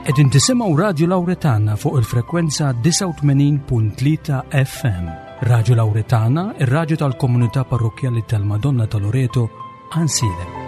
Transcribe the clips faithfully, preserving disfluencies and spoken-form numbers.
Qegħdin tisimgħu Radju Lawretana fuq il-frekwenza disgħa u tmenin punt tlieta F M. Radju Lawretana, ir-radju tal-komunità parrokkjali tal-Madonna ta' Loreto, Għajnsielem.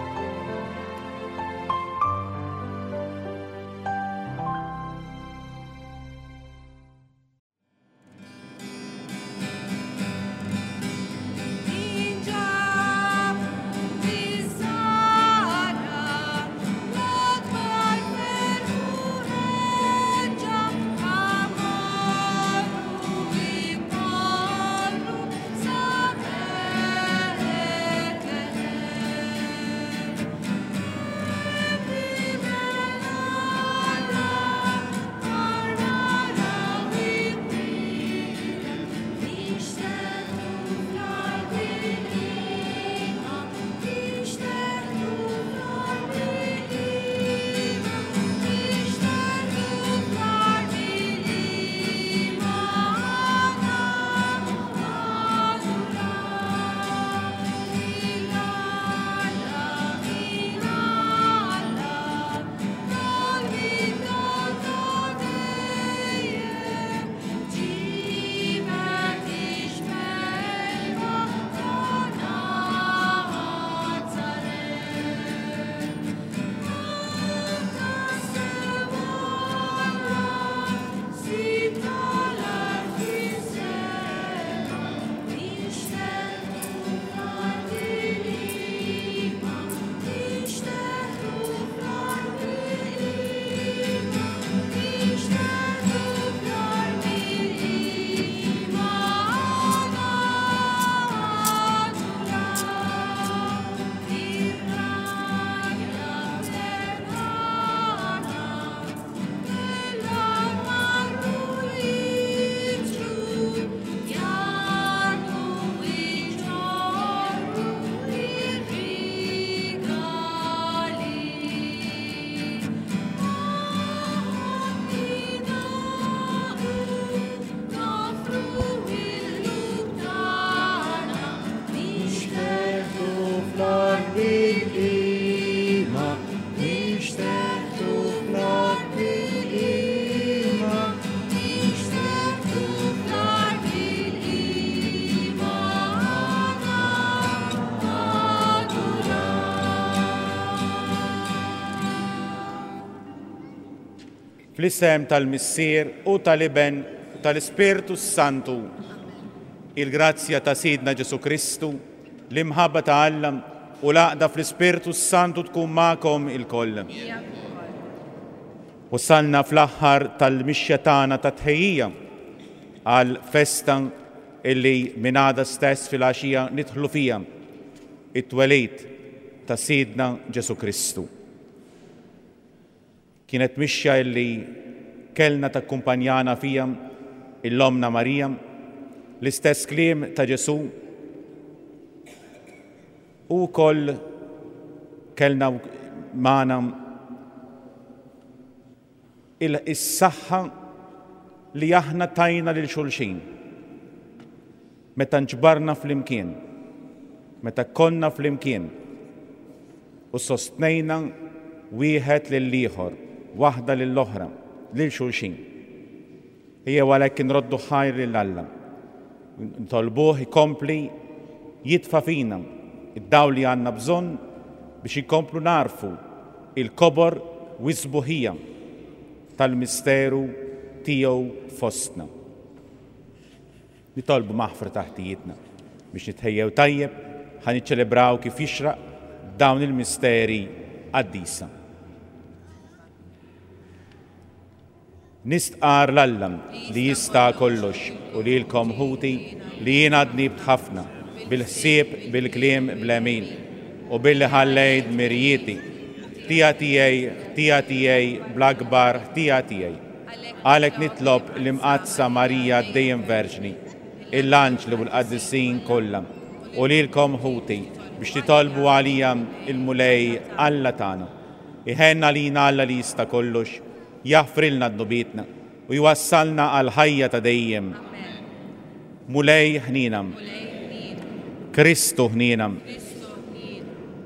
Fl-isem tal-Missier u tal-Iben u tal-Ispirtu Santu, il-grazzja ta' Sidna Ġesu Kristu, l-imħabba ta' Alla u l-għaqda fl-Ispirtu Santu tkun magħkom ilkoll. Wasalna fl-aħħar tal-mixja tagħna ta' tħejjija għal festa illi minn għada stess fil-għaxija nidħlu fija, it-twelid ta' Sidna Ġesu Kristu. Kienet mixja illi kellna takkumpanjana fija il-Omna Marija, l-istess kliem ta' Ġesu, u wkoll kellna magħna is-saħħa li aħna tajna lil xulxin. Meta nġbarna flimkien, meta konna flimkien u sostnejna wieħed lill-ieħor, waħda lill-oħra, lil xulxin. Ejjew għalhekk inroddu ħajr lil Alla. Ntolbuh ikompli jitfa' fina id-dawl li għandna bżonn biex inkomplu narfu il-kobor u s-sbuħija tal-misteru tiegħu fostna. Nitolbu maħfra taħtijietna biex nitħejjew tajjeb ħa niċċelebraw kif jixraq dawn il-misteri qaddisa. Nistqar l-Alla li jista' kollox u lilkom ħuti li jiena dnibt ħafna bil-ħsieb, bil-kliem, bl-għemil u billi ħallejt mirjieti. Ħtija tiegħi, ħtija tiegħi, bl-akbar ħtija tiegħi. Għalhekk nitlob l-Imqaddsa Marija dejjem Verġni, il-anġli u l-qaddisin kollha u lilkom ħuti biex titolbu għalija il-Mulej Alla tagħna. Iħenna lina Alla li jista' kollox, jaħfrilna dnubietna u jwassalna għal ħajja ta' dejjem. Mulej ħnina. Kristu ħnina.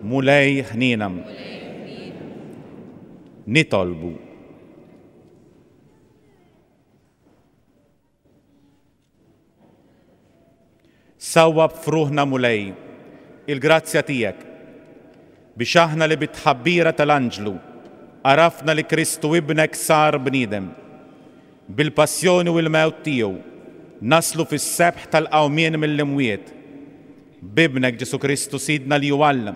Mulej ħnina. Nitolbu. Sawwab f'ruħna Mulej il-grazzja tiegħek biex aħna li bit-tħabbira tal-anġlu għarafna li Kristu ibnek sar bniedem. Bil-passjoni u l-mewt tiegħu naslu fis-sebħ tal-qawmien mill-imwiet. B'ibnek Ġesù Kristu Sidna li hu Alla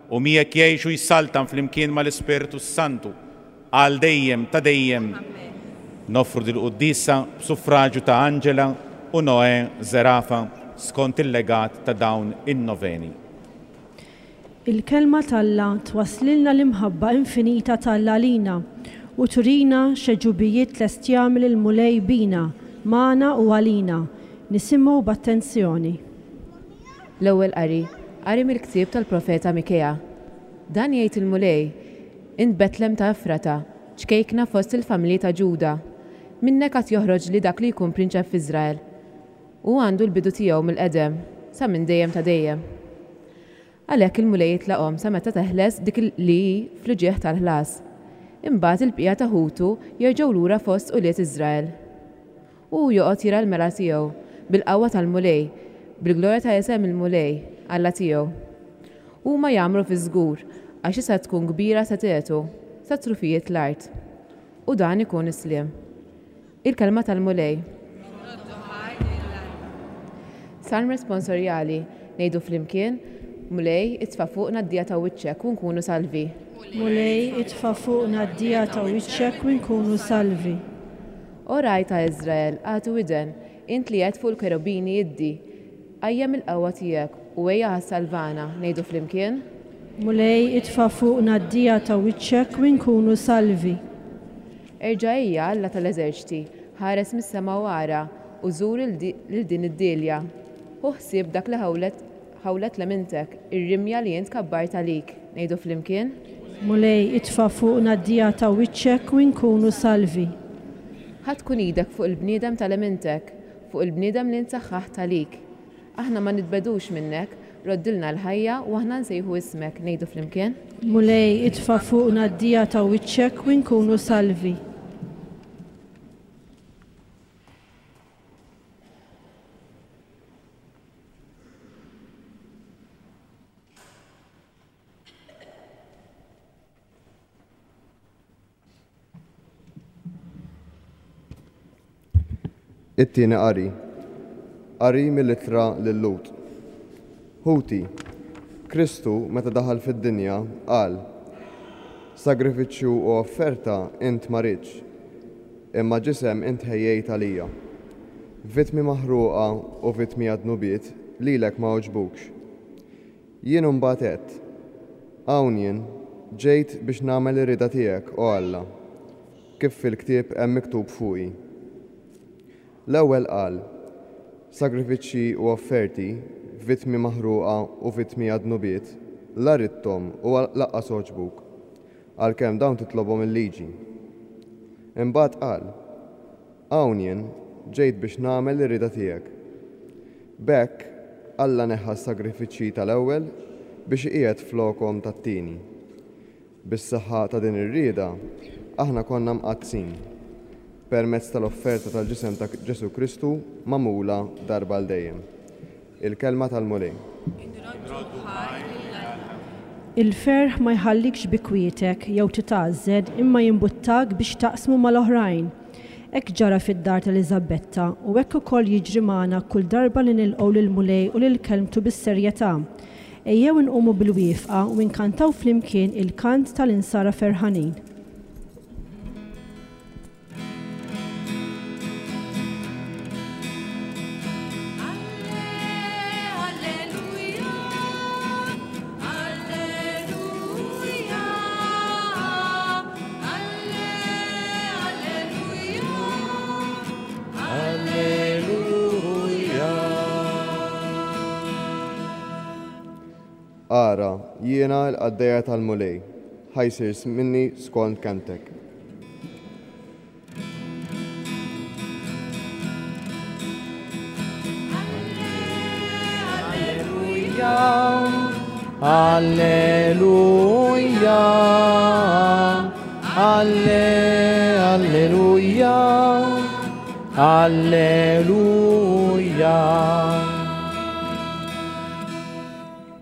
u miegħek jgħix u jsaltan flimkien mal-Ispirtu Santu għal dejjem ta' dejjem. Noffru dil-quddiesa b'suffraġju ta' Angela u Noè Zerafa skont il-legat ta' dawn in-noveni. Il-kelma t'Alla twaslilna l-imħabba infinita t'Alla lina u turina x'għeġubijiet lest jagħmel il-Mulej bina, magħna u għalina. Nisimgħu b'attenzjoni. L-ewwel qari, qari mill-ktieb tal-profeta Mikea. Dan jgħid il-Mulej, int Betlem ta' Efrata, ċkejkna fost il-familji ta' Ġuda. Minnek għad joħroġ li dak li jkun prinċep f'Iżrael. U għandu l-bidu tiegħu mill-qedem, sa minn dejjem ta' dejjem. Għalhekk il-Mulej jitlaqhom sa meta teħles dik li hi fl-uġigħ tal-ħlas. Imbagħad il-bqija ta' ħutu jerġgħu lura fost ulied Iżrael. U joqgħod jira l-mela tiegħu bil-qawwa tal-Mulej, bil-glorja ta' isem il-Mulej, Alla tiegħu. Huma jagħmlu fi żgur għax issa tkun kbira sa tetu, sa trufijiet l-art. U dan ikun is-sliem. Il-kelma tal-Mulej. Salm responsorjali, ngħidu flimkien, Mulej, itfa' fuqna d-dija ta' wiċċek u nkunu salvi. Mulej, itfa' fuqna d-dija ta' wiċċek u nkunu salvi. O ragħaj ta' Iżrael, agħti widen, int li qed fuq il-kerubini iddi. Qajjem il-qawwa tiegħek u ejja ħas-salvana, ngħidu flimkien. Mulej, itfa' fuqna d-dija ta' wiċċek u nkunu salvi. Erġa' ejja Alla tal-eżerċti, ħares mis-sema u ara, u żur lil din id-dilja. Hu ħsieb dak li ħawlet ħawlet lemintek, ir-rimja li int kabbart għalik. Ngħidu flimkien. Mulej, itfa' fuqna d-dija ta' wiċċek u nkunu salvi. Ħa tkun idek fuq il-bniedem tal-lemintek, fuq il-bniedem li ntsaħħaħt għalik. Aħna ma nitbedux minnek, roddilna l-ħajja u aħna nsejħu ismek. Ngħidu flimkien. Mulej, itfa' fuqna d-dija ta' wiċċek u nkunu salvi. It-tieni qari, qari mill-ittra lil-Lut. Ħuti, Kristu meta daħal fid-dinja qal: Sagrifiċċju u offerta int ma ridtx, imma ġisem int ħejjejt għalija. Vittmi maħruqa u vittmi għad-dnubiet lilek ma għoġbukx. Jien imbagħad għedt: Hawn jien, ġejt biex nagħmel ir-rieda tiegħek, o Alla, kif fil-ktieb hemm miktub fuqi. L-ewwel qal: Sagrifiċċji u offerti, vittmi maħruqa u vittmi għad-dnubiet, la ridthom u lanqas għoġbuk, għalkemm dawn titlobhom il-liġi. Imbagħad qal: Hawn jien, ġejt biex nagħmel ir-rieda tiegħek. B'hekk Alla neħħa s-sagrifiċċji tal-ewwel biex iqiegħed flokhom tat-tieni. Bis-saħħa ta' din ir-rieda aħna konna mqaddsin permezz tal-offerta tal-ġisem ta' Ġesù Kristu magħmula darba għal dejjem. Il-kelma tal-Mulej. Il-ferħ ma jħallikx bi kwietek jew titgħażżed imma jimbuttak biex taqsmu mal-oħrajn. Hekk ġara fid-dar tal-Eliżabetta u hekk ukoll jiġri magħna kull darba li nilqgħu lill-Mulej u lil kelmtu bis-serjetà. Ejjew inqumu bil-wieqfa u nkantaw flimkien il-kant tal-insara ferħanin. Ara, jiena l-qaddejja tal-Mulej, ħa jsir minni skont kelmtek. Alleluja, alleluja, alleluja, alleluja.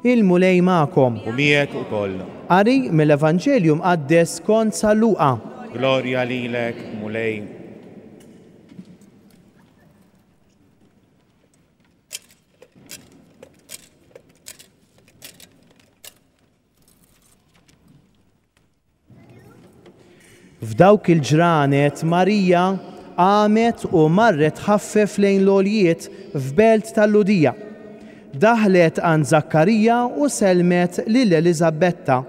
Il-Mulej magħkom. U miegħek ukoll. Qari mill-Evanġelju mqaddes skont San Luqa. Glorja lilek, Mulej. F'dawk il-ġranet Marija qamet u marret ħaffef lejn l-għoljiet f'belt tal-Lhudija. Daħlet għand Zakkarija u selmet lil Eliżabetta.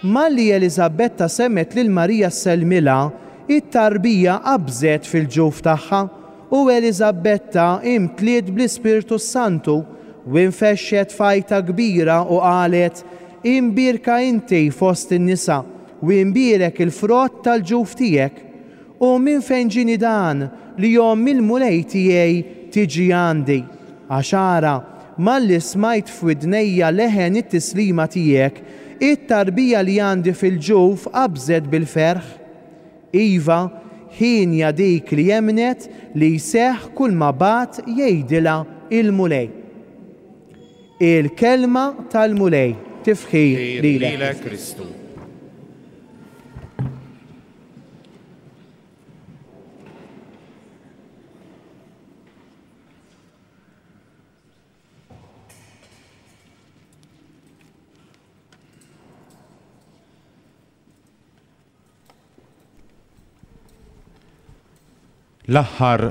Malli Eliżabetta semmet lil Marija sellmilha, it-tarbija qabżet fil-ġuf tagħha u Eliżabetta imtliet bl-Ispirtu Santu u infexxet fajta kbira u qalet: Imbierka inti fost in-nisa u imbierek il-frott tal-ġuf tiegħek. U minn fejn ġieni dan li omm il-Mulej tiegħi tiġi għandi? Għax ara, malli smajt f'widnejja leħen it-tislima tiegħek, it-tarbija li għandi fil-ġuf qabżet bil-ferħ. Iva, ħinja dik li jemnet li jseħħ kull ma bagħat jgħidilha il-Mulej. Il-kelma tal-Mulej. Tifħir lilek Kristu. L-aħħar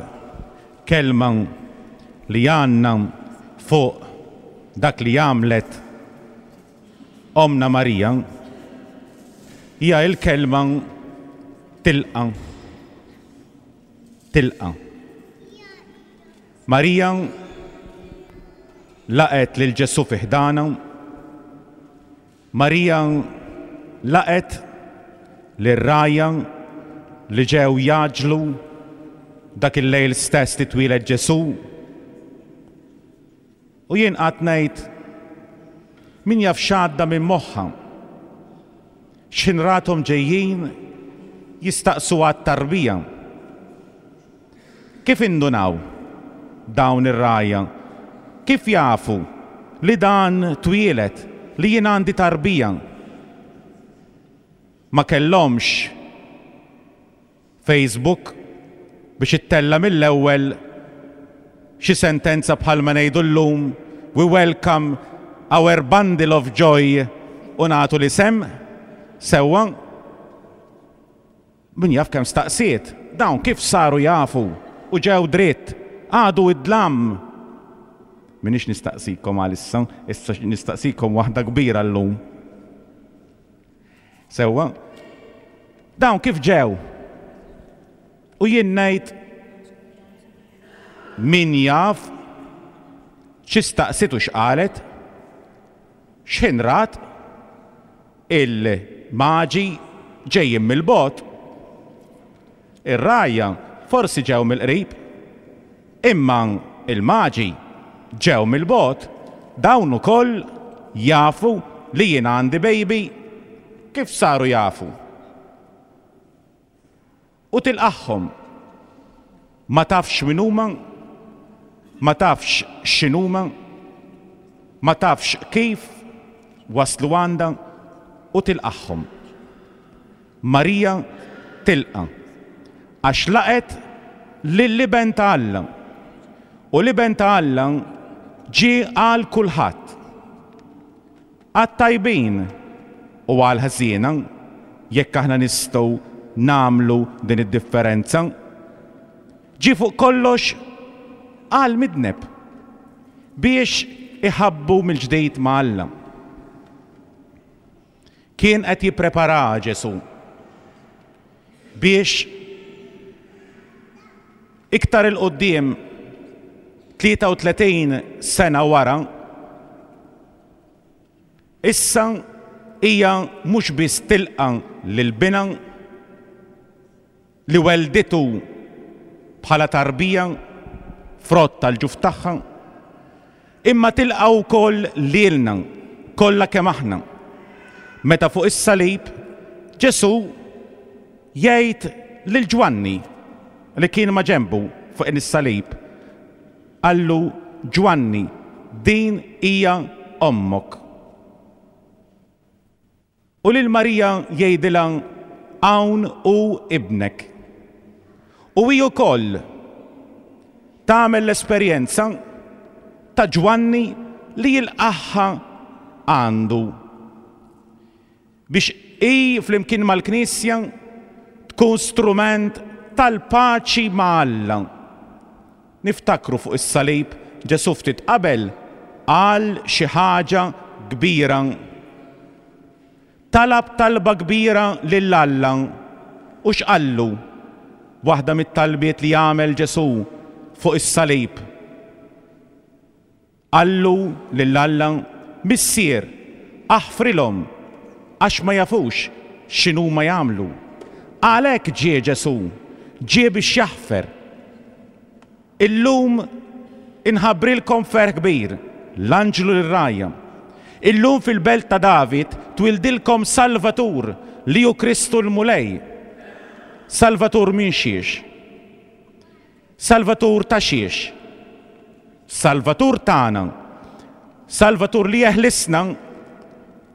kelma li għandna fuq dak li għamlet Omna Marija hija l-kelma tilqa. Tilqa. Marija laqet lil Ġesù fi ħdana. Marija laqet lir-rgħajja li ġew jaġlu dak il-lejl stess li twieled Ġesù. U jien qatt ngħid min jaf x'għadda minn moħħha, x'ħin rathom ġejjin jistaqsu għat-tarbija. Kif indunaw dawn ir-rgħajja? Kif jafu li dan twieled, li jien għandi tarbija? Ma kellhomx Facebook biex ittella mill-ewwel xi sentenza bħalma ngħidu llum, we welcome our bundle of joy, u nagħtu l-isem sewwa. Min jaf kemm staqsiet, dawn kif saru jafu u ġew dritt, għadu id-dlam. Minix nistaqsikom għalissa, issa nistaqsikom waħda kbira llum. Sewwa, dawn kif ġew? U jien ngħid min jaf xi staqsiet u x'qalet, x'ħin rat il-maġi ġejjin mill-bogħod. Ir-rgħajja forsi ġew mill-qrib, imma il-maġi ġew mill-bogħod. Dawn ukoll jafu li jien għandi baby. Kif saru jafu? U tilqaħħom. Ma tafx min huma, ma tafx x'inhuma, ma tafx kif waslu għandha, u tilqaħħom. Marija tilqa' għax laqet lill-Iben ta' Alla. U l-Iben ta' Alla ġie għal kulħadd, għat-tajbin u għal ħżiena, jekk aħna nistgħu nagħmlu din id-differenza. Ġie fuq kollox għal midneb biex iħabbu mill-ġdid ma' Alla. Kien qed jipprepara Ġesù biex iktar il-qudiem tlieta u tletin sena wara, issa hija mhux biss tilqa lil binha li welditu bħala tarbija frott tal-ġuf tagħha, imma tilqa wkoll lilna kollha kemm aħna. Meta fuq is-salib Ġesù jgħid lil Ġwanni li kien ma' ġenbu fuq is-salib, qallu: Ġwanni, din hija ommok. U lil Marija jgħidilha hawn hu ibnek. U hi wkoll tagħmel l-esperjenza ta' Ġwanni li jilqagħha għandu biex hi flimkien mal-Knisja tkun strument tal-paċi ma' Alla. Niftakru fuq is-salib Ġesù ftit qabel qal xi ħaġa kbira. Talab talba kbira lil Alla u x'qallu? Waħda mit-talbiet li għamel Ġesù fuq is-salib. Qallu lil Alla, Missier, aħfrilhom għax ma jafux x'inhuma jagħmlu. Għalhekk ġie Ġesù, ġie biex jaħfer. Illum inħabbrilkom ferħ kbir, l-anġlu lir-rgħajja. Illum fil-belt ta' David twildilkom Salvatur li hu Kristu l-Mulej. Salvatur minn xiex? Salvatur ta' xiex? Salvatur tagħna. Salvatur li jeħlisna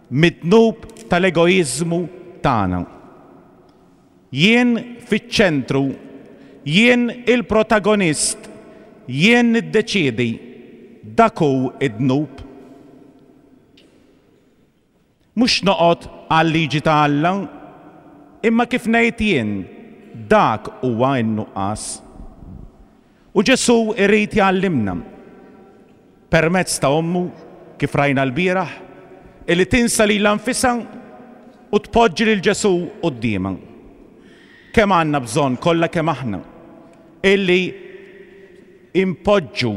mid-dnub tal-egoiżmu tagħna. Jien fiċ-ċentru, jien il-protagonist, jien niddeċiedi, dak hu id-dnub. Mhux noqgħod għal-liġi ta' Alla, imma kif ngħid jien, dak huwa n-nuqqas. U Ġesù irid jgħallimna permezz ta' ommu, kif rajna l-bieraħ, illi tinsa lilha nfisha u tpoġġi lil Ġesù quddiemha. Kemm għandna bżonn kollha kemm aħna illi impoġġu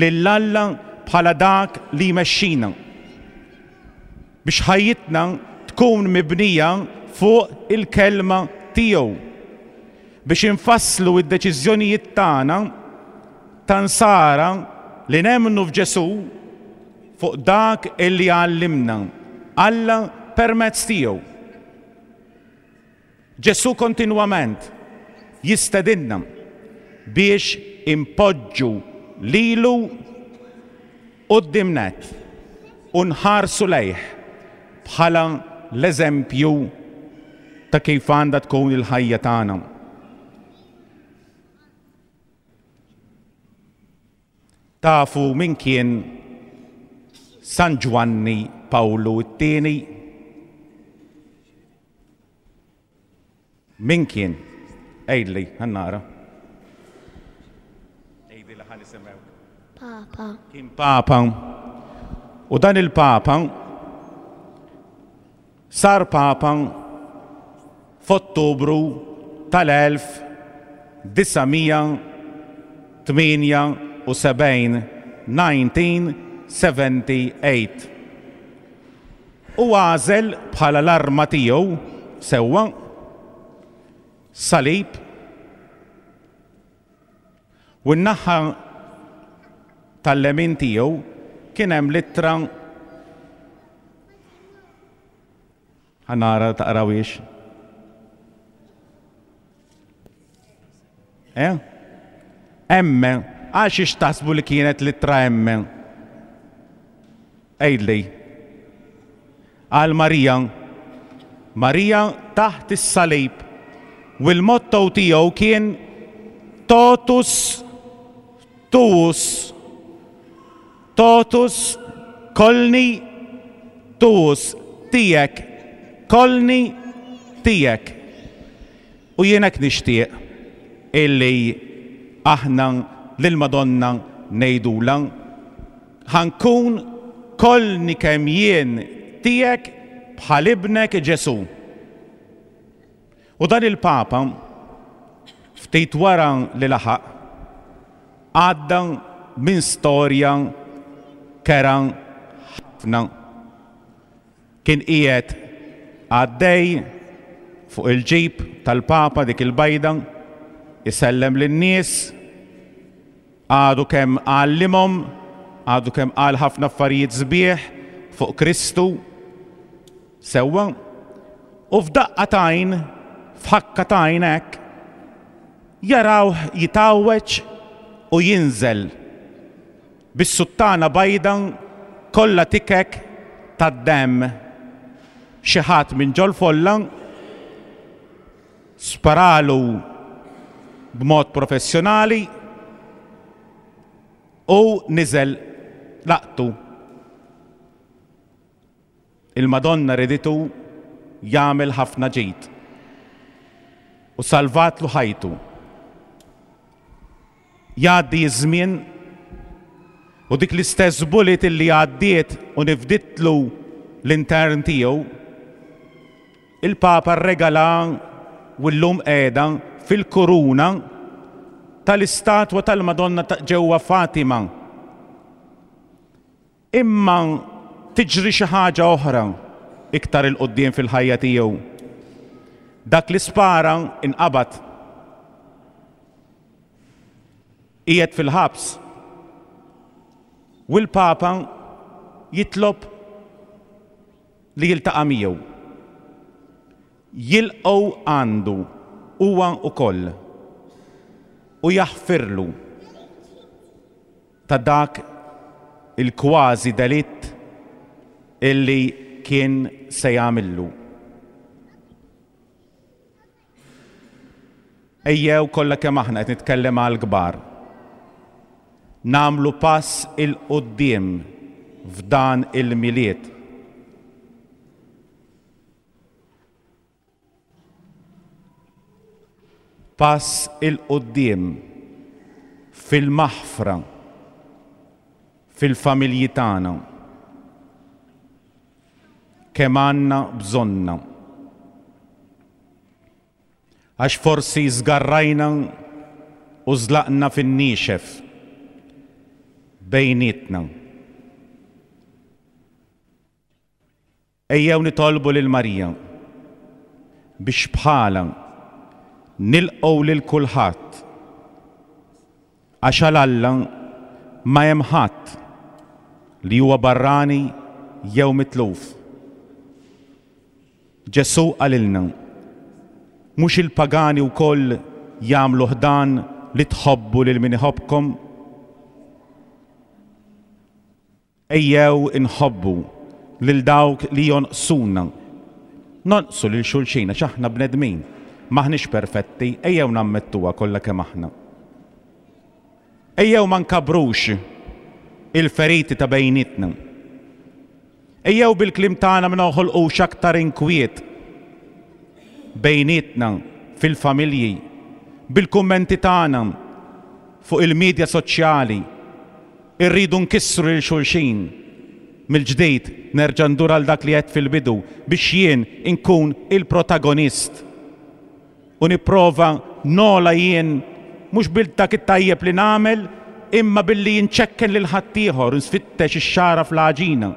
lil Alla bħala dak li jmexxina biex ħajjitna tkun mibnija fuq il-kelma tiegħu, biex infasslu d-deċiżjonijiet tagħna ta' nsara li nemmnu f'Ġesù fuq dak illi għallimna Alla permezz tiegħu. Ġesù kontinwament jistedinna biex impoġġu lilu quddiem nett u nħarsu lejh bħala l-eżempju ta' kif għandha tkun il-ħajja tagħna. Tafu min kien San Ġwanni Pawlu t-tieni? Min kien? Għidli, ħa nara. Għidli li ħa nisimgħu. Papa. Kien Papa. U dan il-Papa sar Papa f'Ottubru tal-elf disa' mija tmienja u sebgħin, nineteen seventy-eight. U għażel bħala l-arma tiegħu sewwa salib u n-naħa tal-lemin tiegħu kien hemm littra ħa nara taqrawiex. Eh? M, għal xiex taħsbu li kienet littra M? Għidli. Għal Marija. Marija taħt is-salib. U l-motto tiegħu kien totus tuus. Totus kolni tuus, tiegħek, kolni tiegħek. U jien hekk nixtieq illi aħna lill-Madonna ngħidulha ħankun kolni kemm jien tiegħek bħal ibnek Ġesù. U dan il-Papa ftit wara li laħaq għadda minn storja kera ħafna. Kien qiegħed għaddej fuq il-ġib tal-Papa dik il-bajda, isellem lin-nies, għadu kemm għallimhom, għadu kemm qal ħafna affarijiet sbieħ fuq Kristu sewwa, u f'daqqa t'għajn, f'ħakka t'għajn hekk, jarawh jitgħawweġ u jinżel bis-suttana bajda kollha tikek tad-demm. Xi ħadd minn ġol-folla sparalu b'mod professjonali u niżel laqtu. Il-Madonna riditu jagħmel ħafna ġid u salvatlu ħajtu. Jgħaddi iż-żmien u dik l-istess bullet illi għaddiet u nifditlu l-intern tiegħu, il-Papa rregala u llum qiegħda fil-kuruna tal-istatwa tal-Madonna ta' ġewwa Fatima. Imma tiġri xi ħaġa oħra iktar 'il quddiem fil-ħajja tiegħu. Dak li spara inqabad. Qiegħed fil-ħabs. U l-Papa jitlob li jiltaqa' miegħu. Jilqgħu għandu huwa wkoll u jaħfirlu ta' dak il-kważi delitt illi kien se jagħmillu. Ejjew kollha kemm aħna qed nitkellem għall-kbar. Nagħmlu pass 'il quddiem f'dan il-Milied. Pass 'il quddiem fil-maħfra fil-familji tagħna. Kemm għandna bżonna. Għax forsi żgarrajna u żlaqna fin-niexef bejnietna. Ejjew nitolbu lil Marija biex bħala nilqgħu lil kulħadd, għax għal Alla ma hemm ħadd li huwa barrani jew mitluf. Ġesù qalilna, mhux il-pagani wkoll jagħmlu ħdan li tħobbu lil min iħobbkom? Ejjew inħobbu lil dawk li jonqsuna. Nonqsu lil xulxin għax aħna bnedmin, maħniex perfetti, ejjew nammettuha kollha kemm aħna. Ejjew ma nkabrux il-feriti ta' bejnietna. Ejjew bil-kliem tagħna ma noħolqux aktar inkwiet bejnietna fil-familji, bil-kummenti tagħna fuq il-medja soċjali. Irridu nkissru lil xulxin. Mill-ġdid nerġa' ndur għal dak li għedt fil-bidu biex jien inkun il-protagonist u nipprova nola jien mhux bil dak it-tajjeb li nagħmel imma billi nċekken lil ħaddieħor nsfittex ix-xara fl-għaġina.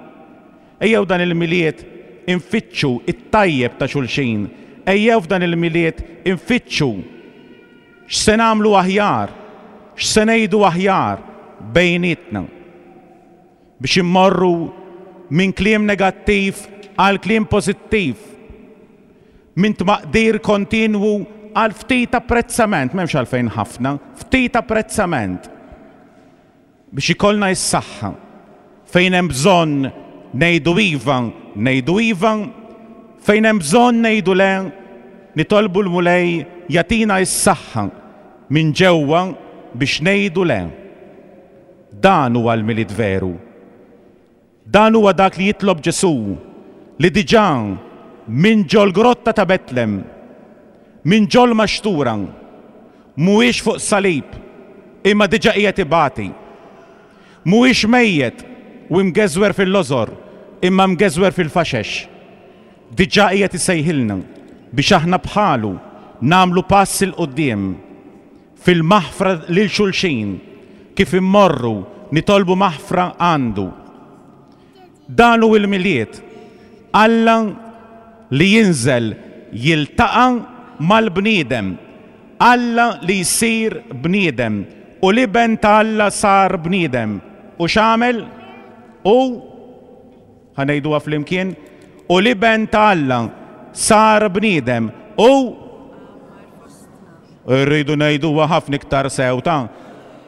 Ejjew dan il-Milied infittxu it-tajjeb ta' xulxin. Ejjew f'dan il-Milied infittxu x'se nagħmlu aħjar, x'se ngħidu aħjar bejnietna biex immorru minn kliem negattiv għal kliem pożittiv, minn tmaqdir kontinwu għal ftit apprezzament, m'hemmx għalfejn ħafna, ftit apprezzament biex ikollna s-saħħa fejn hemm bżonn ngħidu iva, ngħidu iva, fejn hemm bżonn ngħidu le, nitolbu l-Mulej jagħtina s-saħħa minn ġewwa biex ngħidu le. Dan huwa l-Milied veru. Dan huwa dak li jitlob Ġesù li diġà minn ġol-grotta ta' Betlem, minn ġol maxtura, mhuwiex fuq salib, imma diġà qiegħed ibati. Mhuwiex mejjet u mgeżwer fil-lożor, imma mgeżwer fil-faxex. Diġà qiegħed isejħilna biex aħna bħalu nagħmlu pass 'il quddiem fil-maħfra lil xulxin, kif immorru nitolbu maħfra għandu. Dan hu l-Milied, Alla li jinżel jiltaqa' mal-bniedem, Alla li jsir bniedem, u l-Iben ta' Alla sar bniedem. U x'għamel? U ħa ngħiduha flimkien, u l-Iben ta' Alla sar bniedem u rridu ngħiduha ħafna iktar sew ta'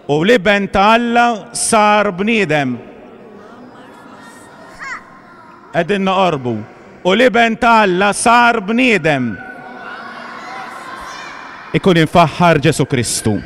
u l-Iben ta' Alla sar bniedem. Qegħdin noqorbu. U l-Iben ta' Alla sar bniedem. Ikun imfaħħar Ġesù Kristu.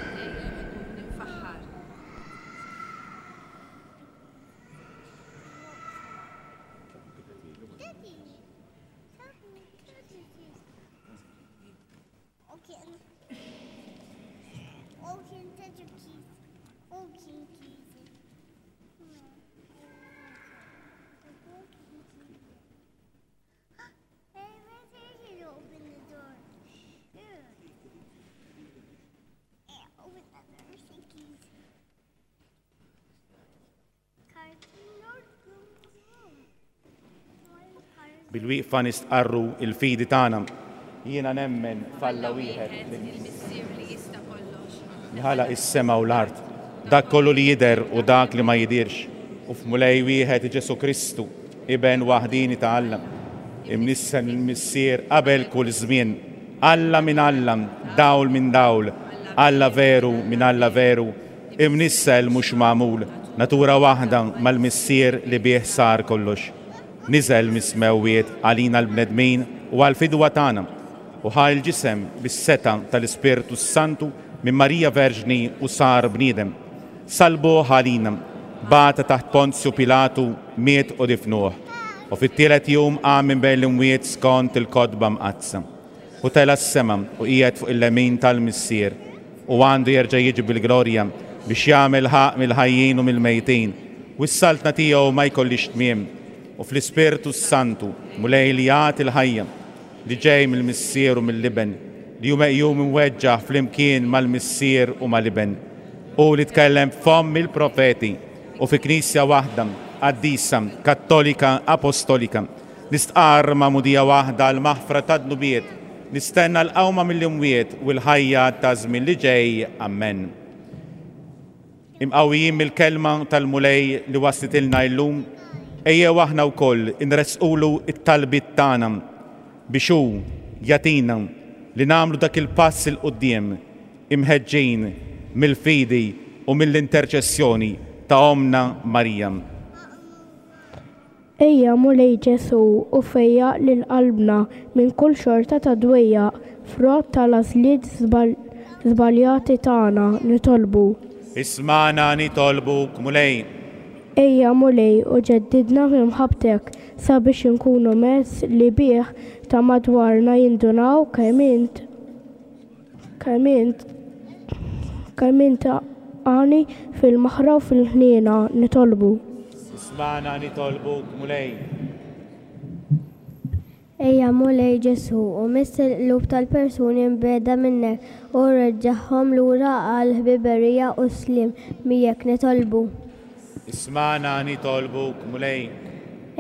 Bil-wieqfa nistqarru il-fidi tagħna. Jiena nemmen f'Alla wieħed il-Missier li jista' kollox. Li ħalaq is-sema u l-art, dak kollu li jidher u dak li ma jidirx, u f'Mulej wieħed Ġesù Kristu, Iben waħdini ta' Alla, imnissen il-Missier qabel kull żmien, Alla minn Alla, dawl minn dawl, Alla veru minn Alla veru, imnissel mhux magħmul, natura waħda mal-Missier li bih sar kollox. Niżel mis-smewwiet għalina l-bnedmin u għall-fidwa tagħna, u ħa l-ġisem bis-seta tal-Ispirtu Santu minn Marija Verġni u sar bniedem. Salbuh għalina, bata taħt Ponzju Pilatu, miet u difnuh. U fit-tielet jum qam minn bejn l-imwiet skont il-kotba mqaddsa. U tela' s-sema u qiegħed fuq il-lemin tal-Missier, u għandu jerġa' jiġi bil-glorja biex jagħmel ħaqq mill-ħajjin u mill-mejtin, u s-saltna tiegħu ma jkollix tmiem. U fl-Ispirtu Santu, Mulej li jagħti l-ħajja, li ġej mill-Missier u mill-Iben, li hu meqjum imweġġaħ flimkien mal-Missier u mal-Iben, u li tkellem f'fomm il-profeti u fi Knisja waħda, qaddisa, kattolika, apostolika, nistqarr magħmudija waħda għall-maħfra tad-dnubiet, nistenna l-qawma mill-imwiet u l-ħajja ta' żmien li ġej. Amen. Imqawwijin mill-kelma tal-Mulej li waslitilna llum, ejjew aħna wkoll inresqulu t-talbiet tagħna biex hu jagħtina li nagħmlu dak il-pass il quddiem imħeġġin mill-fidi u mill-interċessjoni ta' Ommna Marija. Ejja Mulej Ġesù u fejjaq lil qalbna minn kull xorta ta' dwejjaq, frott tal-għażliet żbaljati tagħna, nitolbu. Ismagħna nitolbuk, Mulej. Ejja Mulej u ġeddidna f'imħabbtek sabiex inkunu mezz li bih ta' madwarna jindunaw kemm int kemm int kemm int għani fil-maħra u fil-ħniena, nitolbu. Ismagħna nitolbuk, Mulej. Ejja Mulej Ġesù u miss il-qlub tal-persuni mbiegħda minnek u reġġagħhom lura għall-ħbiberija u s-sliem miegħek, nitolbu. Ismagħna nitolbuk, Mulej.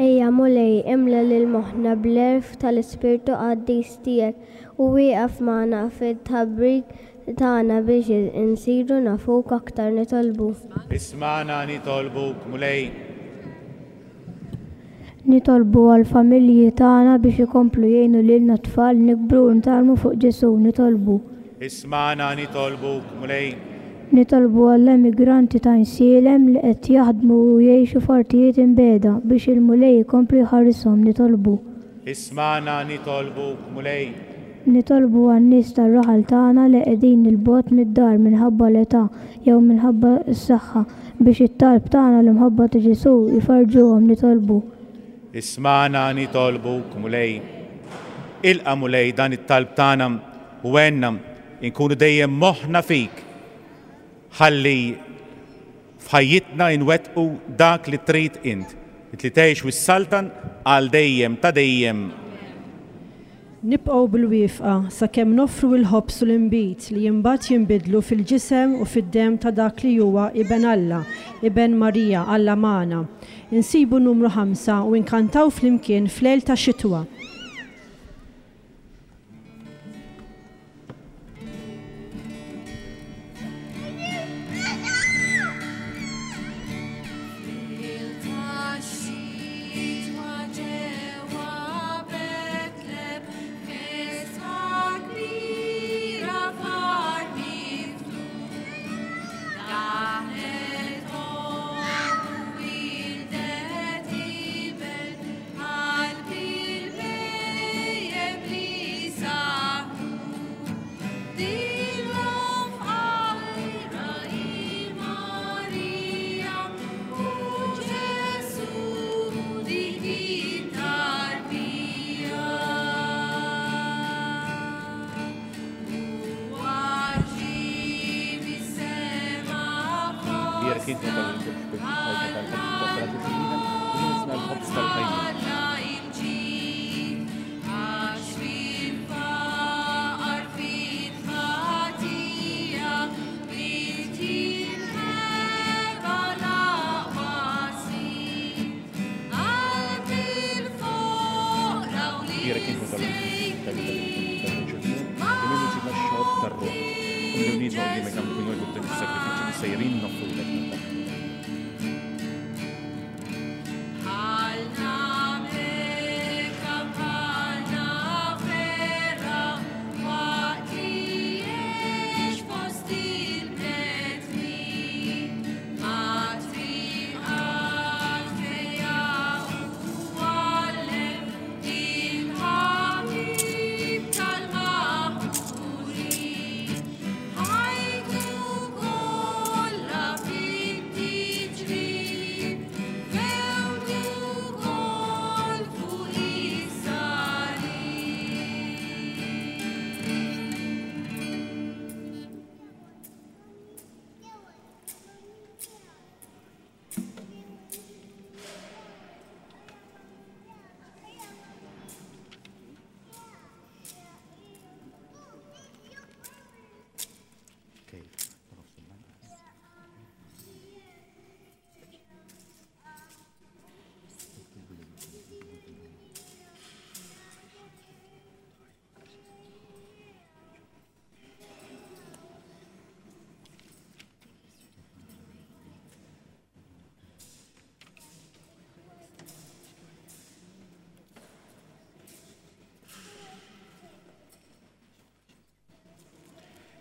Ejja Mulej, imla lil moħħna bl-għerf tal-Ispirtu Qaddis tiegħek u wieqaf magħna fit-tħabbrik tagħna biex insiru nafuk aktar, nitolbu. Ismagħna nitolbuk, Mulej. Nitolbu għall-familji tagħna biex ikomplu jgħinu lilna t-tfal nikbru u nitgħallmu fuq Ġesù, nitolbu. Ismagħna nitolbuk, Mulej. Nitolbu għall-emigranti ta' Insielem li qed jaħdmu u jgħixu f'artijiet imbiegħda biex il-Mulej ikompli jħarishom, nitolbu. Ismagħna nitolbuk, Mulej. Nitolbu għan-nies tar-raħal tagħna li qegħdin il-bogħod mid-dar minħabba l-età jew minħabba s-saħħa biex it-talb tagħna l-imħabba ta' Ġesù jfarġuhom, nitolbu. Ismagħna nitolbuk, Mulej. Ilqa' Mulej dan it-talb tagħna u għenna inkunu dejjem moħħna fik, ħalli f'ħajjitna nwettqu dak li trid int, li tgħix u s-saltan għal dejjem ta' dejjem. Nibqgħu bil-wieqfa sakemm noffru l-ħobż u l-inbid li imbagħad jinbidlu fil-ġisem u fid-demm ta' dak li huwa Iben Alla, Iben Marija, Alla magħna. Insibu numru ħamsa u nkantaw flimkien f'lejl ta' xitwa. Daħlet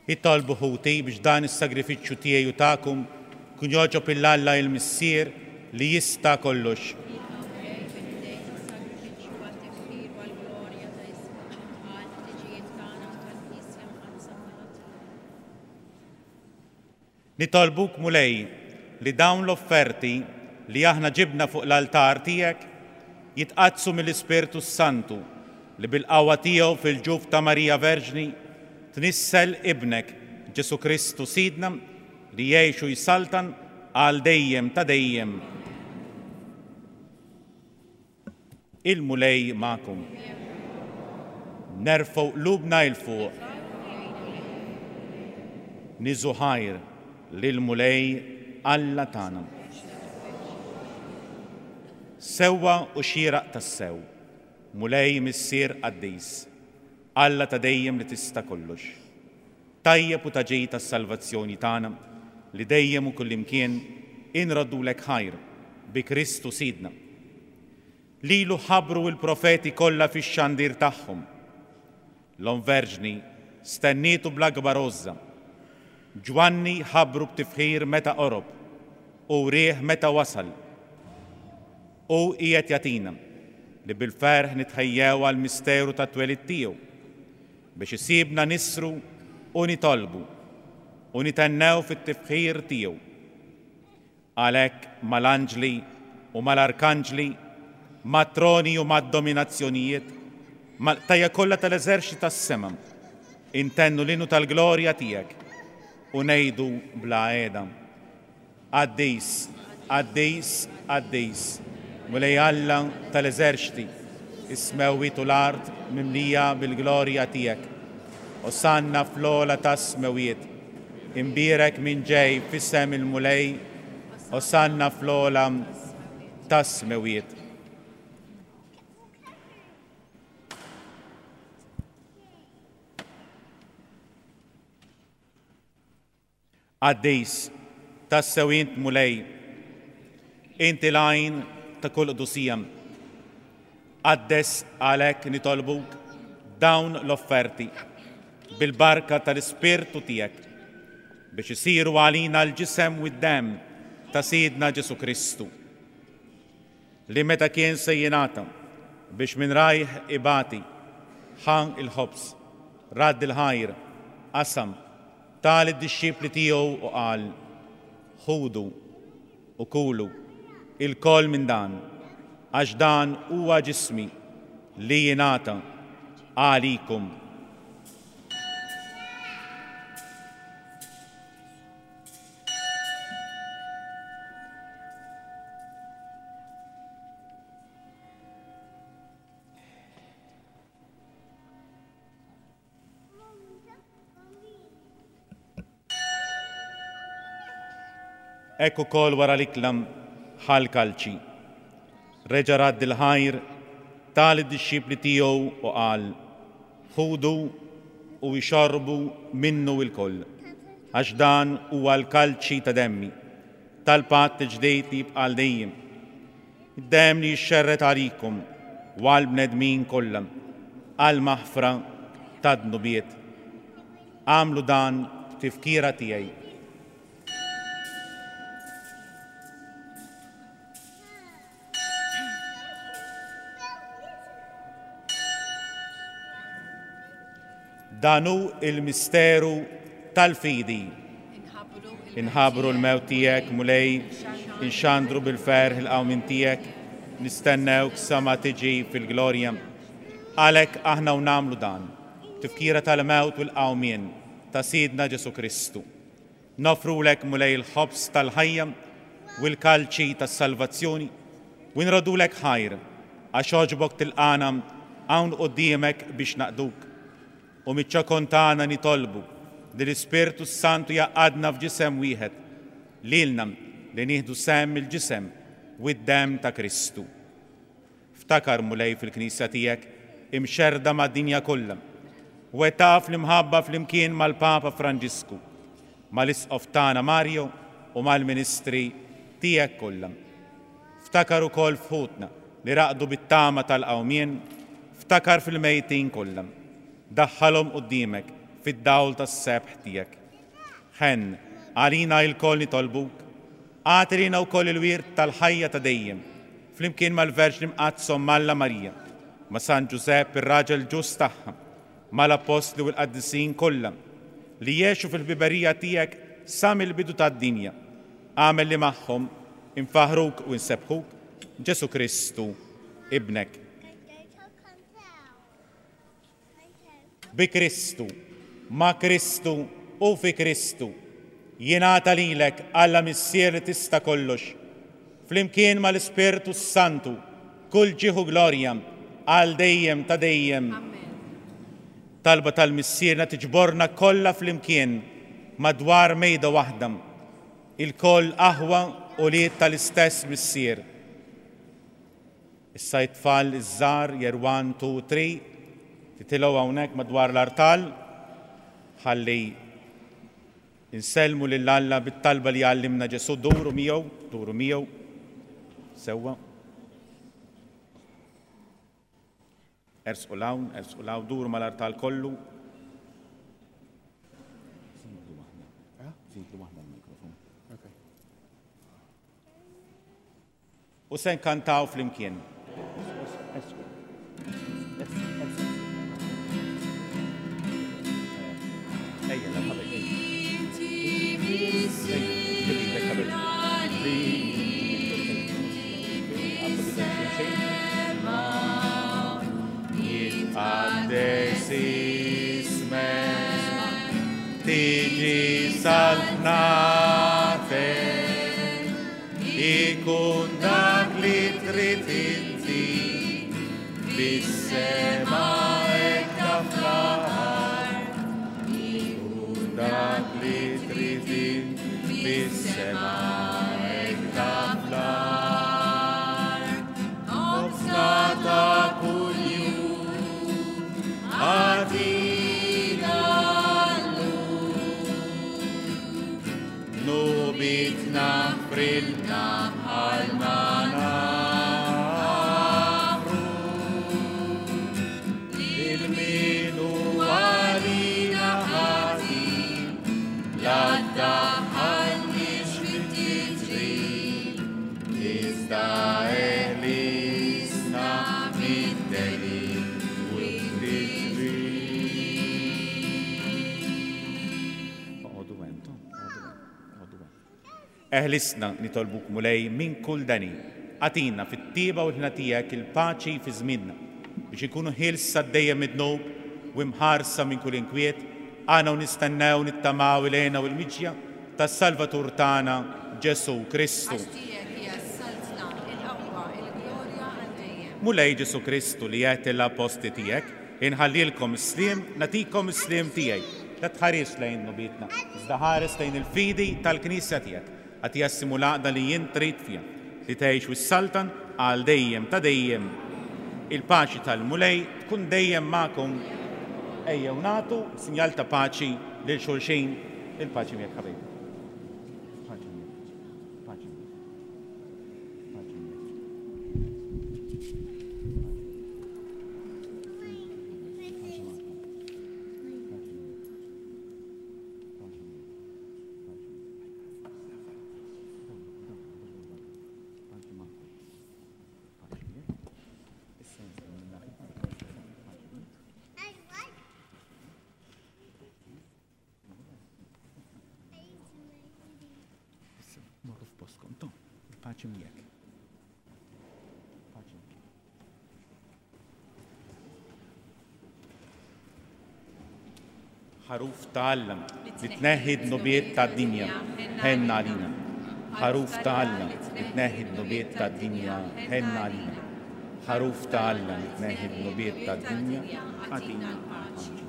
Itolbu ħuti biex dan is-sagrifiċċju tiegħi u tagħkom kun jogħġob lil Alla il-Missier li jista' kollox. Nitolbuk Mulej li dawn l-offerti li aħna ġibna fuq l-altar tiegħek jitqaddsu mill-Ispirtu Santu li bil-qawwa tiegħu fil-ġuf ta' Marija Verġni tnissel ibnek Ġesu Kristu Sidna li jgħix u jsaltan għal dejjem ta' dejjem. Il-Mulej magħkom. Nerfgħu qlubna 'l fuq. Niżu ħajr lill-Mulej Alla tagħna. Sewwa u xieraq tassew, Mulej Missier Qaddis, Alla ta' dejjem li tista' kollox. Tajjeb u taġej tas-salvazzjoni tagħna li dejjem u kullimkien inroddulek ħajr bi Kristu Sidna. Lilu ħabru l-profeti kollha fix-xandir tagħhom. L-Omm Verġni stennietu bl-akbar għożża. Ġwanni ħabru b'tifħir meta qorob u wrieh meta wasal. U qiegħed jagħtina li bil-ferħ nitħejjew għall-misteru tat-twelid tiegħu biex isibna nisru u nitolbu u nitennew fit-tifħir tiegħu. Għalhekk mal-anġli u mal-arkanġli, mat-troni u mad-dominazzjonijiet, mal-qtajja kollha tal-eżerċti tas-sema, intennu l-innu tal-glorja tiegħek u ngħidu bla qiegħda. Qaddis, qaddis, qaddis, Mulej Alla tal-eżerċti, is-smewwiet u l-art mimlija bil-glorja tiegħek. Osanna fl-ogħla tas-smewwiet, imbierek min ġej f'isem il-Mulej, osanna fl-ogħla tas-smewwiet. Qaddis, tassew int Mulej, inti l-għajn ta' kull qdusija. Qaddes għalhekk nitolbuk dawn l-offerti bil-barka tal-Ispirtu tiegħek biex isiru għalina l-ġisem u d-demm ta' Sidna Ġesu Kristu, li meta kien se jingħata biex minn rajh ibati, ħa il-ħobż, radd il-ħajr, qasam, ta lid-dixxipli tiegħu u qal: Ħudu u kulu ilkoll minn dan, għax dan huwa ġismi li jingħata għalikom. Hekk ukoll wara l-ikla ħa l-kalċi. Reġa' radd il-ħajr ta lid-dixxipli tiegħu u qal: Ħudu u ixorbu minnu lkoll, għax dan huwa l-kalċi ta' demmi, tal-patt ġdid li jibqa' għal dejjem. Id-demm li jixxerred għalikom u għall-bnedmin kollha għall-maħfra ta' dnubiet. Agħmlu dan b'tifkira tiegħi. Dan hu il-misteru tal-fidi. Inħabbru l-mewt tiegħek, Mulej, inxandru bil-ferħ il-qawmien tiegħek, nistennewk sa ma tiġi fil-glorja. Għalhekk aħna u nagħmlu dan, tifkira tal-mewt u l-qawmien ta' Sidna Ġesù Kristu. Nofrulek, Mulej, il-ħobż tal-ħajja u l-kalċi tas-salvazzjoni u nrodulek ħajr għax għoġbok tilqana hawn quddiemek biex naqduk. U miċ-ċokon tagħna nitolbu li l-Ispirtu s-Santu jgħaqqadna f'ġisem wieħed, lilna li nieħdu sehem il-ġisem u d-demm ta' Kristu. Ftakar, Mulej, fil-Knisja tiegħek imxerrda mad-dinja kollha, u taf l-imħabba flimkien mal-Papa Franġisku, mal-Isqof tagħna Mario u mal-Ministri tiegħek kollha. Ftakar ukoll f'ħutna li raqdu bit-tama tal-qawmien, ftakar fil-mejtin kollha. Daħħalhom quddiemek fid-dawl tas-sebħ tiegħek. Ħenn għalina lkoll nitolbuk, agħti lilna wkoll il-wirt tal-ħajja ta' dejjem, flimkien mal-Verġni Mqaddsa Omm Alla Marija, ma' San Ġużepp ir-raġel ġust tagħha, mal-Appostli u l-Qaddisin kollha li jgħixu fil-ħbiberija tiegħek sa mill-bidu tad-dinja. Agħmel li magħhom infaħruk u nsebbħuk, Ġesù Kristu, Ibnek. Bi Kristu, ma' Kristu u fi Kristu, jingħata lilek Alla Missier li tista' kollox, flimkien mal-Ispirtu s-Santu, kull ġieħ u glorja għal dejjem ta' dejjem. Talba tal-Missierna tiġborna kollha flimkien madwar mejda waħda, ilkoll aħwa u wlied tal-istess Missier. Issa it-tfal iż-żgħar year one, two, three, titilgħu hawnhekk madwar l-artal, ħalli insellmu lil Alla bit-talba li għallimna Ġesù. Duru miegħu, duru miegħu, sewwa. Ersqu 'l hawn, ersqu 'l hawn, duru mal-artal kollu. Zidlu waħda l-mikrofon. U se nkantaw flimkien. Ejja, la ħabel, ejja. Jitqaddes ismek, tiġi saltnatek, ikun dak li trid inti, fis-sema hekk fl-art. Ikun dak li trid inti, fis-sema hekk fl-art. Ħobżna ta' kuljum agħtina llum. Dnubitna frilna bħalma nagħfru lil min hu għalina ħati, la ddaħħalniex fit-tiġrib, iżda eħlisna mid-deni u t-tiġrib. Oqogħdu hemm, Tom, oqogħdu hemm, oqogħdu hemm. Eħlisna nitolbuk, Mulej, minn kull deni. Agħtina fit-tieba u l-ħna tiegħek il-paċi fi żmienna, biex inkunu ħielsa dejjem mid-dnub u imħarsa minn kull inkwiet, aħna u nistennew nittamaw il-hena u l-miġja tas-Salvatur tagħna Ġesù Kristu. Għax tiegħek hija s-saltna, il-qawwa, il-glorja għal dejjem. Mulej Ġesù Kristu li għedt lill-appostli tiegħek, inħallilkom is-sliem, nagħtikom is-sliem tiegħi. La tħares lejn dnubietna, iżda ħares lejn il-fidi tal-Knisja tiegħek. Agħtiha s-sliem u l-għaqda li jien trid fiha, li tgħix u ssaltan għal dejjem ta' dejjem. Il-paċi tal-Mulej tkun dejjem magħkom. Ejjew nagħtu sinjal ta' paċi lil xulxin. Il-paċi miegħek ħabib. Paċi miegħek. Paċi miegħek. Paċi miegħek. Paċi magħkom. Paċi miegħek. Paċi miegħek. Paċi miegħek. Paċi magħkom. Paċi miegħek. Issa nistgħu nagħti paċi miegħek. Issa morru f'postkom, Tom, il-paċi miegħek. Paċi miegħek. Ħaruf ta' Alla li tneħħi d-dnubiet tad-dinja, ħenna għalina. Ħaruf ta' Alla li tneħħi d-dnubiet tad-dinja, ħenna għalina. Ħaruf ta' Alla li tneħħi d-dnubiet tad-dinja, agħtina l-paċi.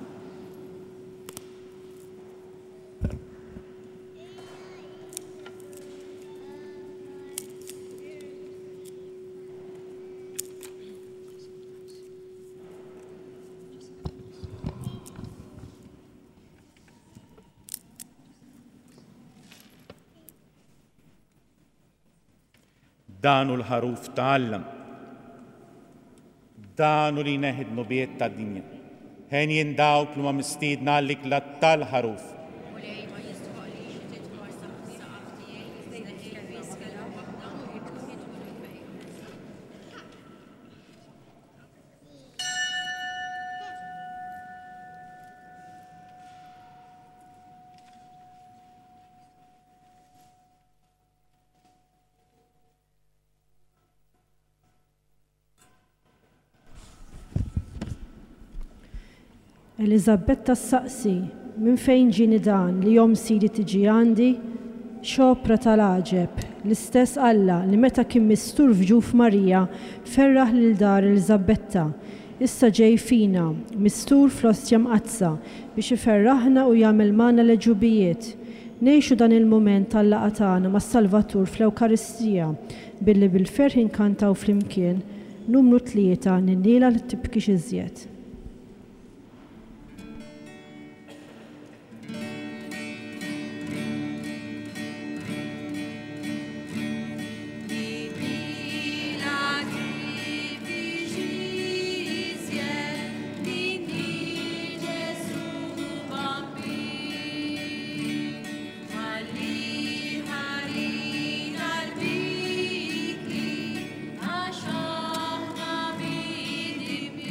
Dan hu l-ħaruf ta' Alla. Dan hu li jneħħi d-dnubiet tad-dinja. Henjin dawk li huma mistiedna għall-ikla tal-ħaruf. Mulej ma jistħoqlix li tidħol taħt is-saqaf tiegħi, iżda ejja biss kelma waħda u ruħi tkun imfejqa. Eliżabetta ssaqsi, minn fejn ġieni dan li omm Sidi tiġi għandi? X'opra tal-għaġeb, l-istess Alla li meta kien mistur f'ġuf Marija ferraħ lil dar Eliżabetta, issa ġej fina, mistur fl-ostja mqaddsa biex iferraħna u jagħmel magħna l-għeġubijiet. Ngħixu dan il-mument tal-laqgħa tagħna mas-Salvatur fl-Ewkaristija billi bil-ferħ inkantaw flimkien numru tlieta Ninniela li tibkix iżjed. Għax aħna bidibin.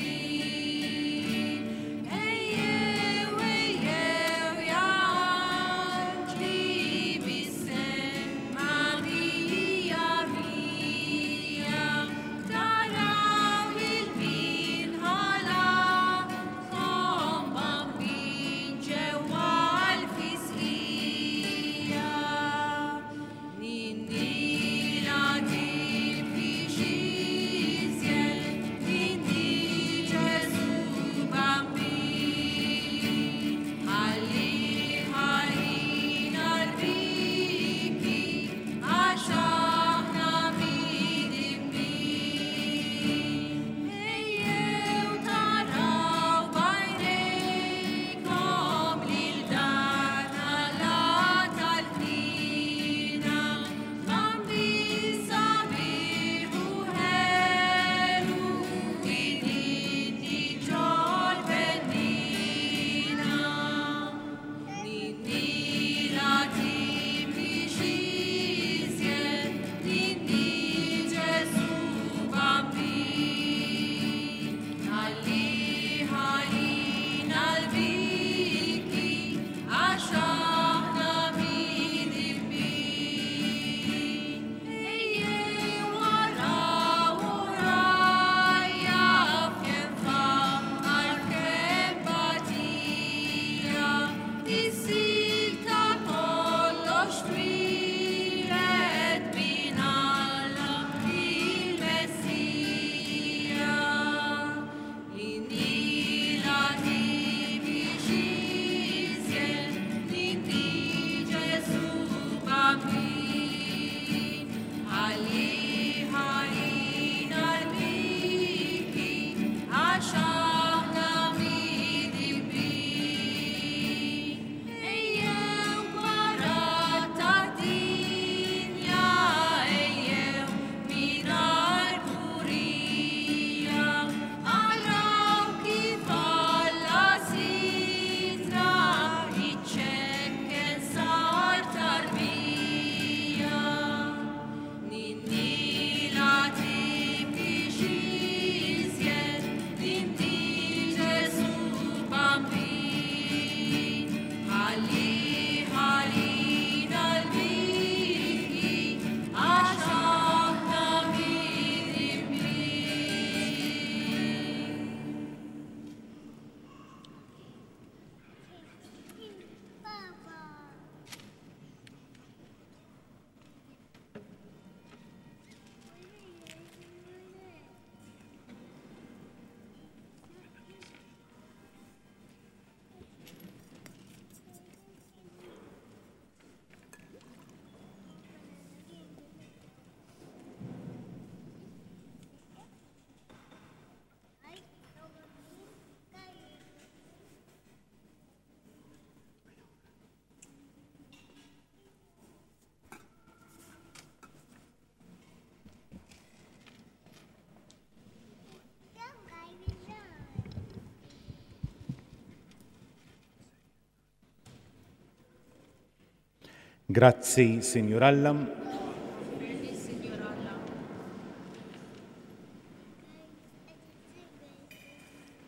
Grazzi, Sinjur Alla.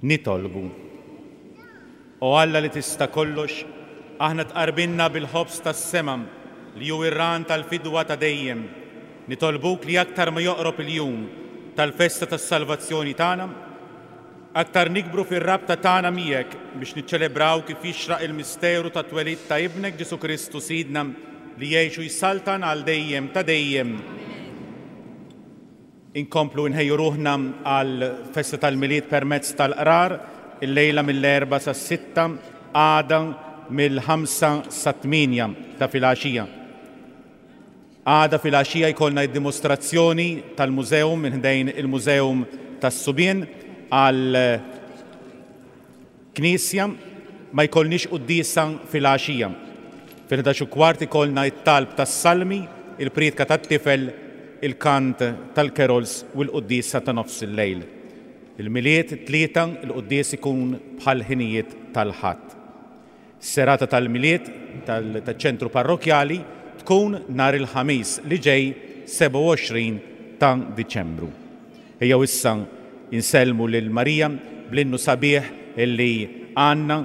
Nitolbu. O Alla li tista' kollox, aħna tqarbinna bil-ħobż tas-sema li hu ir-ran tal-fidwa ta' dejjem. Nitolbuk li aktar ma joqrob il-jum tal-festa tas-salvazzjoni tagħna, aktar nikbru fir-rabta tagħna miegħek biex niċċelebraw kif jixraq il-misteru tat-twelid ta' Ibnek Ġesù Kristu Sidna li jgħix u jsaltan għal dejjem ta' dejjem. Inkomplu nħejju ruħna għal festa tal-Milied permezz tal-qrar illejla mill-erba sa sitta, għada mill-ħamsa sa tmienja ta' filgħaxija. Għada filgħaxija jkollna d-dimostrazzjoni tal-mużeum minn ħdejn il-Mużeum tas-Subien għal Knisja, ma jkollniex quddiesa filgħaxija. Fil-ħdax u kwart ikollna t-talb tas-salmi, il-priedka tat-tifel, il-kant tal-carols u l-quddiesa ta' nofs il-lejl. Il-Milied it-tlieta, il-quddies ikun bħal ħinijiet tal-Ħadd. Serata tal-Milied tal-ċentru parrokjali tkun nhar il-Ħamis li ġej sebgħa u għoxrin ta' Diċembru. Ejjew issa insellmu lil Marija bl-innu sabiħ illi għandna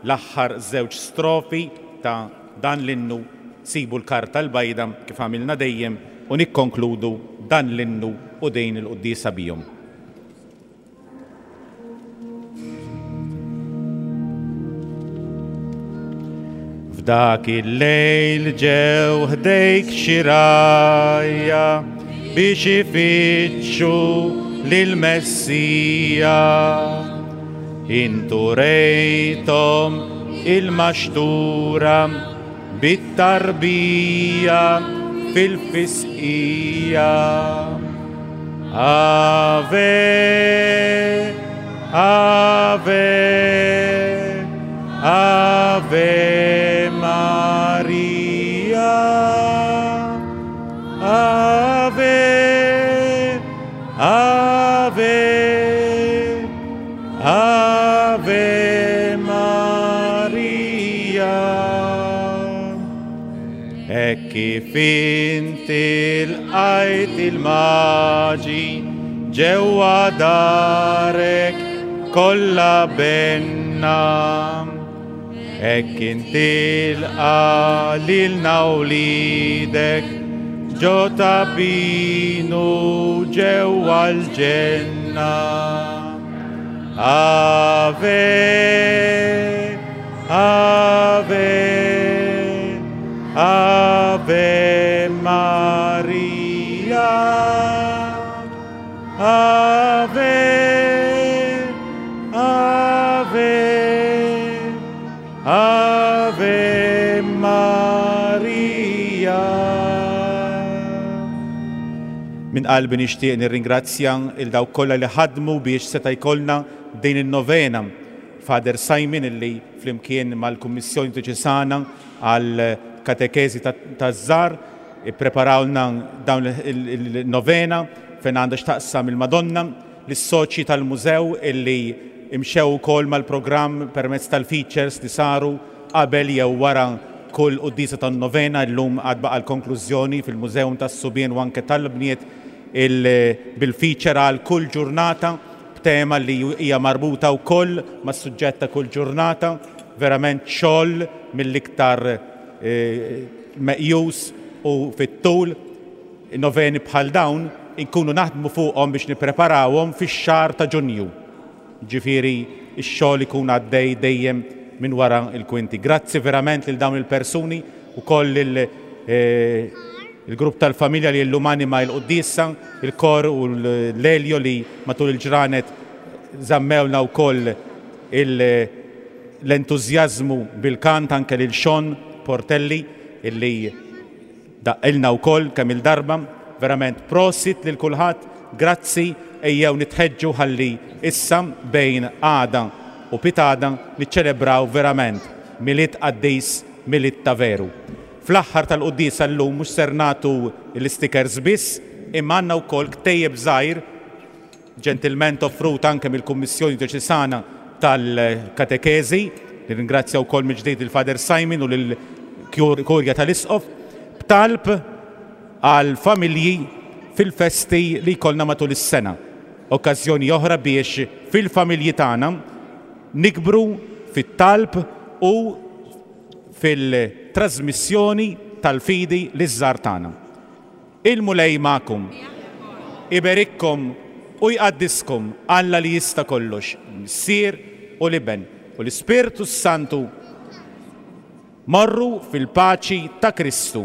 l-aħħar żewġ strofi ta' dan l-innu. Sibu l-karta l-bajda kif għamilna dejjem u nikkonkludu dan l-innu u din il-quddiesa bihom. F'dak il-lejl ġew ħdejk xi rgħajja biex ifittxu lill-Messija. Intu rejthom il-maxtura bit-tarbija fil-fisqija. Ave, Ave, Ave Maria, Ave, Ave, Ave Maria. Hekk kif inti lqajt il-maġi ġewwa darek kollha benna, hekk inti lqa' lilna wliedek ġo tabinu ġewwa l-ġenna. Ave, Ave, Ave Maria, Ave, Ave, Ave Maria. Min qalbi nixtieq nirringrazzja il dawk kollha li ħadmu biex seta' jkollna din in-novena. Father Simon illi flimkien mal-Kummissjoni Dioċesana għal katekezi taż-żgħar ippreparawlna dawn il-novena fejn għandha x'taqsam il-Madonna, lis-soċji tal-mużew illi imxew ukoll mal-programm permezz tal-features li saru qabel jew wara kull quddiesa tan-novena. Illum għad baqa' l-konklużjoni fil-Mużeum tas-Subien u anke tal-Bniet bil-feature għal kull ġurnata b'tema li hija marbuta wkoll mas-suġġett ta' kull ġurnata. Verament xogħol mill-iktar meqjus u fit-tul. Noveni bħal dawn inkunu naħdmu fuqhom biex nippreparawhom fix-xahar ta' Ġunju. Ġifieri x-xogħol ikun għaddej dejjem minn wara l-kwinti. Grazzi verament lil dawn il-persuni ukoll il-grupp tal-familja li llum anima l-quddiesa, il-kor u l-Elio li matul il-ġranet żammewna wkoll l-entużjażmu bil-kant, anke lil Sean Portelli illi daqqilna wkoll kemm il-darba. Verament prosit lil kulħadd, grazzi, ejjew nitħeġġu ħalli issa bejn għada u pitada niċċelebraw verament Milied qaddis, Milied ta' veru. Fl-aħħar tal-quddiesa llum mhux ser nagħtu l-stickers biss, imma għandna wkoll ktejjeb żgħir ġentilment offrut anke mill-Kummissjoni Dioċesana tal-Katekezi. Nirringrazzja wkoll mill-ġdid il-Father Simon u lill-Kurja tal-Isqof. b'talb għall-familji fil-festi li jkollna matul is-sena. Okkażjoni oħra biex fil-familji tagħna nikbru fit-talb u fil-trasmissjoni tal-fidi liż-żgħar tagħna. Il-Mulej magħkom. Iberikkom u jqaddiskom Alla li jista' kollox, Missier u l-Iben u l-Ispirtu Santu. Morru fil-paċi ta' Kristu.